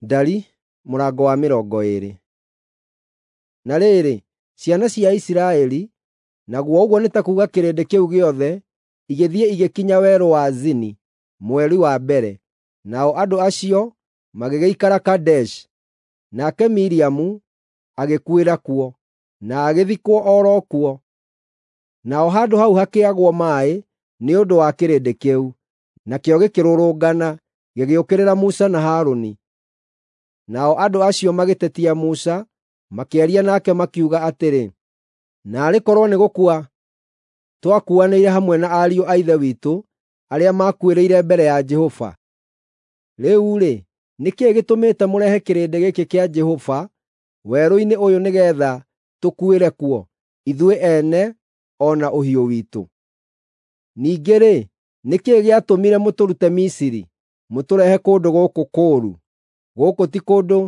Ndari mũrango wa 20. Na rĩrĩ, ciana cia Isiraeli, naguo ũguo nĩ ta kuuga kĩrĩndĩ kĩu gĩothe, igĩthiĩ igĩkinya werũ wa Zini mweri wa mbere, nao andũ acio magĩgĩikara Kadeshi. Nake Miriamu agĩkuĩra kuo, na agĩthikwo o ro kuo. Naho handũ hau hakĩagwo maaĩ nĩ ũndũ wa kĩrĩndĩ kĩu, nakĩo gĩkĩrũrũngana, gĩgĩũkĩrĩra Musa na Harũni. Nao andũ acio magĩtetia Musa, makĩaria nake makiuga atĩrĩ, “Naarĩ korwo nĩ gũkua twakuanĩire hamwe na ariũ a ithe witũ arĩa maakuĩrĩire mbere ya Jehova! Rĩu-rĩ, nĩ kĩĩ gĩtũmĩte mũrehe kĩrĩndĩ gĩkĩ kĩa Jehova werũ-inĩ ũyũ nĩgeetha tũkuĩre kuo, ithuĩ ene o na ũhiũ witũ? Ningĩ-rĩ, nĩ kĩĩ gĩatũmire mũtũrute Misiri, mũtũrehe kũndũ gũkũ kũũru? Gũkũ ti kũndũ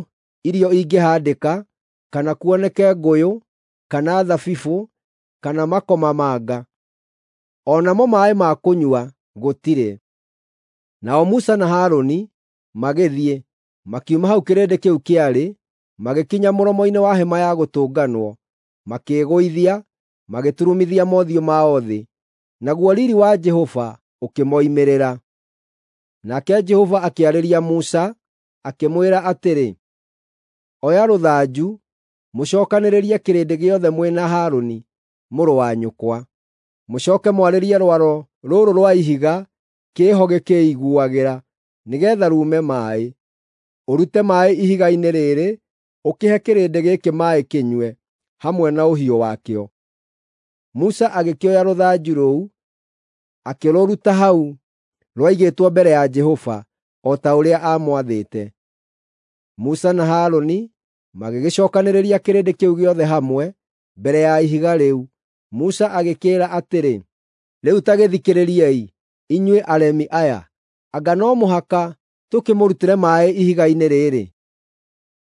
irio ingĩhaandĩka, kana kuoneke ngũyũ, kana thabibũ, kana makomamanga. O namo maaĩ ma kũnyua gũtirĩ.” Nao Musa na Harũni magĩthiĩ, makiuma hau kĩrĩndĩ kĩu kĩarĩ, magĩkinya mũromo-inĩ wa Hema-ya-Gũtũnganwo, makĩĩgũithia, magĩturumithia mothiũ mao thĩ, naguo riiri wa Jehova ũkĩmoimĩrĩra. Nake Jehova akĩarĩria Musa, akĩmwĩra atĩrĩ, “Oya rũthanju, mũcookanĩrĩrie kĩrĩndĩ gĩothe mwĩ na Harũni mũrũ wa nyũkwa. Mũcooke mwarĩrie rwaro rũrũ rwa ihiga kĩĩho gĩkĩĩiguagĩra, nĩgeetha ruume maaĩ. Ũrute maaĩ ihiga-inĩ rĩrĩ ũkĩhe kĩrĩndĩ gĩkĩ maaĩ kĩnyue, hamwe na ũhiũ wakĩo.” Musa agĩkĩoya rũthanju rũu, akĩrũruta hau rwaigĩtwo mbere ya Jehova, o ta ũrĩa aamwathĩte. Musa na Harũni magĩgĩcookanĩrĩria kĩrĩndĩ kĩu gĩothe hamwe mbere ya ihiga rĩu. Musa agĩkĩĩra atĩrĩ, “Rĩu ta gĩthikĩrĩriei, inyuĩ aremi aya, anga no mũhaka tũkĩmũrutĩre maaĩ ihiga-inĩ rĩrĩ?”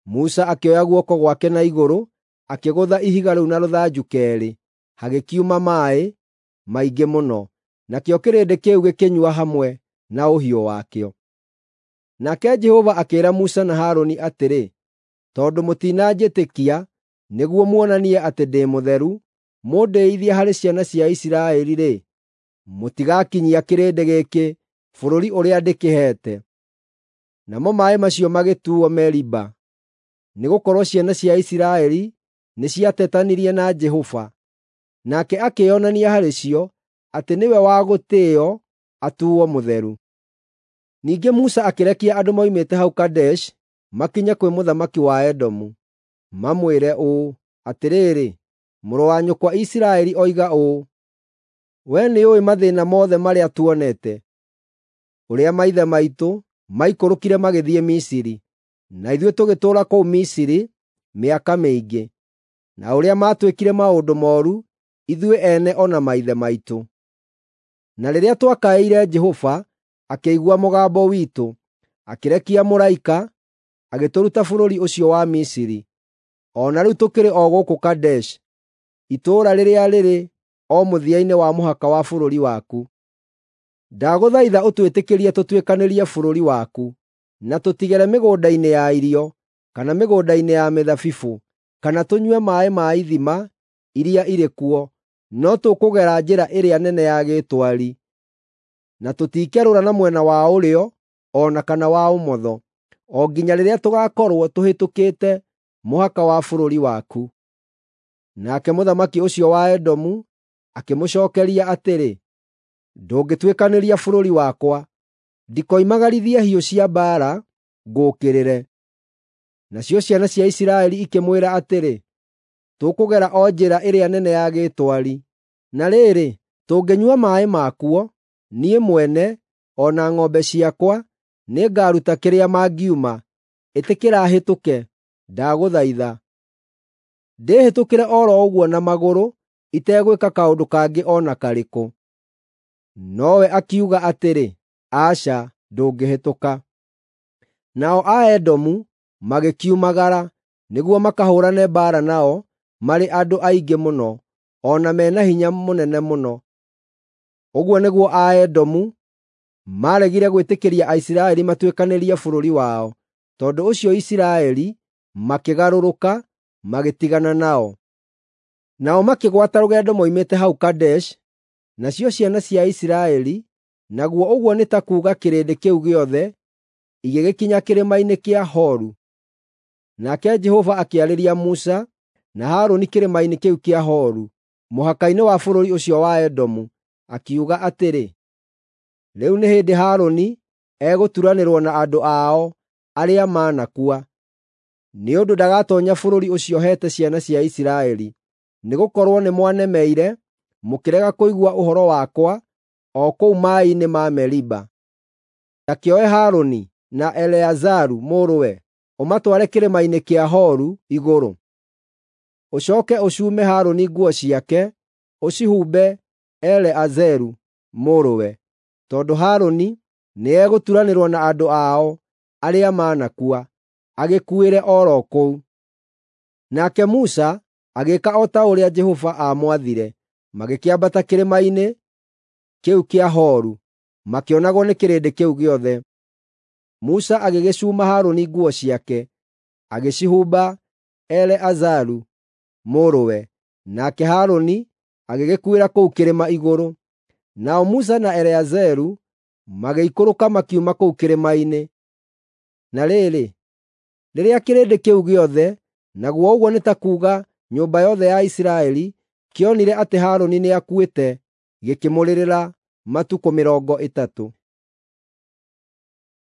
Musa akĩoya guoko gwake na igũrũ, akĩgũtha ihiga rĩu na rũthanju keerĩ, hagĩkiuma maaĩ maingĩ mũno, nakĩo kĩrĩndĩ kĩu gĩkĩnyua hamwe na ũhiũ wakĩo. Nake Jehova akĩĩra Musa na Harũni atĩrĩ, “Tondũ mũtinanjĩtĩkia nĩguo muonanie atĩ ndĩ mũtheru, mũndĩĩithie harĩ ciana cia Isiraeli-rĩ, mũtigakinyia kĩrĩndĩ gĩkĩ bũrũri ũrĩa ndĩkĩheete.” Namo maaĩ macio magĩtuuo Meriba, nĩgũkorwo ciana cia Isiraeli nĩciatetanirie na Jehova. Nake akĩĩonania harĩ cio atĩ nĩwe wa gũtĩĩo atuuo mũtheru. Ningĩ Musa akĩrekia andũ moimĩte hau Kadeshi makinye kwĩ mũthamaki wa Edomu, mamwĩre ũũ, “Atĩrĩrĩ, mũrũ wa nyũkwa Isiraeli oiga ũũ: Wee nĩũũĩ mathĩĩna mothe marĩa tuonete, ũrĩa maithe maitũ maikũrũkire magĩthiĩ Misiri, na ithuĩ tũgĩtũũra kũu Misiri mĩaka mĩingĩ, na ũrĩa maatwĩkire maũndũ mooru ithuĩ ene o na maithe maitũ. Na rĩrĩa twakaĩire Jehova, akĩigua mũgambo witũ, akĩrekia mũraika, agĩtũruta bũrũri ũcio wa Misiri. O na rĩu tũkĩrĩ o gũkũ Kadeshi, itũũra rĩrĩa rĩrĩ o mũthia-inĩ wa mũhaka wa bũrũri waku. Ndagũthaitha ũtwĩtĩkĩrie tũtuĩkanĩrie bũrũri waku, na tũtigere mĩgũnda-inĩ ya irio, kana mĩgũnda-inĩ ya mĩthabibũ, kana tũnyue maaĩ ma ithima iria irĩ kuo, no tũkũgera njĩra ĩrĩa nene ya gĩtwari, na tũtikerũra na mwena wa ũrĩo o na kana wa ũmotho, o nginya rĩrĩa tũgaakorwo tũhĩtũkĩte mũhaka wa bũrũri waku.” Nake mũthamaki ũcio wa Edomu akĩmũcookeria atĩrĩ, “Ndũngĩtuĩkanĩria bũrũri wakwa; ndikoimagarithie hiũ cia mbaara ngũũkĩrĩre.” Nacio ciana cia Isiraeli ikĩmwĩra atĩrĩ, “Tũkũgera o njĩra ĩrĩa nene ya gĩtwari. Na rĩrĩ, tũngĩnyua maaĩ makuo, niĩ mwene o na ng'ombe ciakwa nĩngaruta kĩrĩa mangiuma. Ĩtĩkĩra hĩtũke, ndagũthaitha. Ndĩĩhĩtũkĩre o ro ũguo na magũrũ itegwĩka kaũndũ kangĩ o na karĩkũ.” Nowe akiuga atĩrĩ, “Aca, ndũngĩhĩtũka.” Nao Aedomu magĩkiumagara nĩguo makahũũrane mbaara nao marĩ andũ aingĩ mũno, o na me na hinya mũnene mũno. Ũguo nĩguo Aedomu maaregire gwĩtĩkĩria Aisiraeli matuĩkanĩrie bũrũri wao. Tondũ ũcio Isiraeli makĩgarũrũka, magĩtigana nao. Nao makĩgwata rũgendo moimĩte hau Kadeshi, nacio ciana cia Isiraeli, naguo ũguo nĩ ta kuuga kĩrĩndĩ kĩu gĩothe, igĩgĩkinya kĩrĩma-inĩ kĩa Horu. Nake Jehova akĩarĩria Musa na Harũni kĩrĩma-inĩ kĩu kĩa Horu, mũhaka-inĩ wa bũrũri ũcio wa Edomu, akiuga atĩrĩ, “Rĩu nĩ hĩndĩ Harũni egũturanĩrwo na andũ ao arĩa manakua, nĩ ũndũ ndagatoonya bũrũri ũcio heete ciana cia Isiraeli, nĩgũkorwo nĩmwanemeire, mũkĩrega kũigua ũhoro wakwa o kũu maaĩ-inĩ ma Meriba. Ta kĩoe Harũni na Eleazaru mũrũwe, ũmatware kĩrĩma-inĩ kĩa Horu igũrũ. Ũcooke ũcume Harũni nguo ciake, ũcihumbe Eleazaru mũrũwe, tondũ Harũni nĩegũturanĩrwo na andũ ao arĩa manakua, agĩkuĩre o ro kũu.” Nake Musa agĩĩka o ta ũrĩa Jehova aamwathire, magĩkĩambata kĩrĩma-inĩ kĩu kĩa Horu, makĩonagwo nĩ kĩrĩndĩ kĩu gĩothe. Musa agĩgĩcuuma Harũni nguo ciake, agĩcihumba Eleazaru mũrũwe, nake Harũni agĩgĩkuĩra kũu kĩrĩma igũrũ. Nao Musa na Eleazaru magĩikũrũka makiuma kũu kĩrĩma-inĩ. Na rĩrĩ, rĩrĩa kĩrĩndĩ kĩu gĩothe, naguo ũguo nĩ ta kuuga nyũmba yothe ya Isiraeli, kĩonire atĩ Harũni nĩakuĩte, gĩkĩmũrĩrĩra matukũ 30.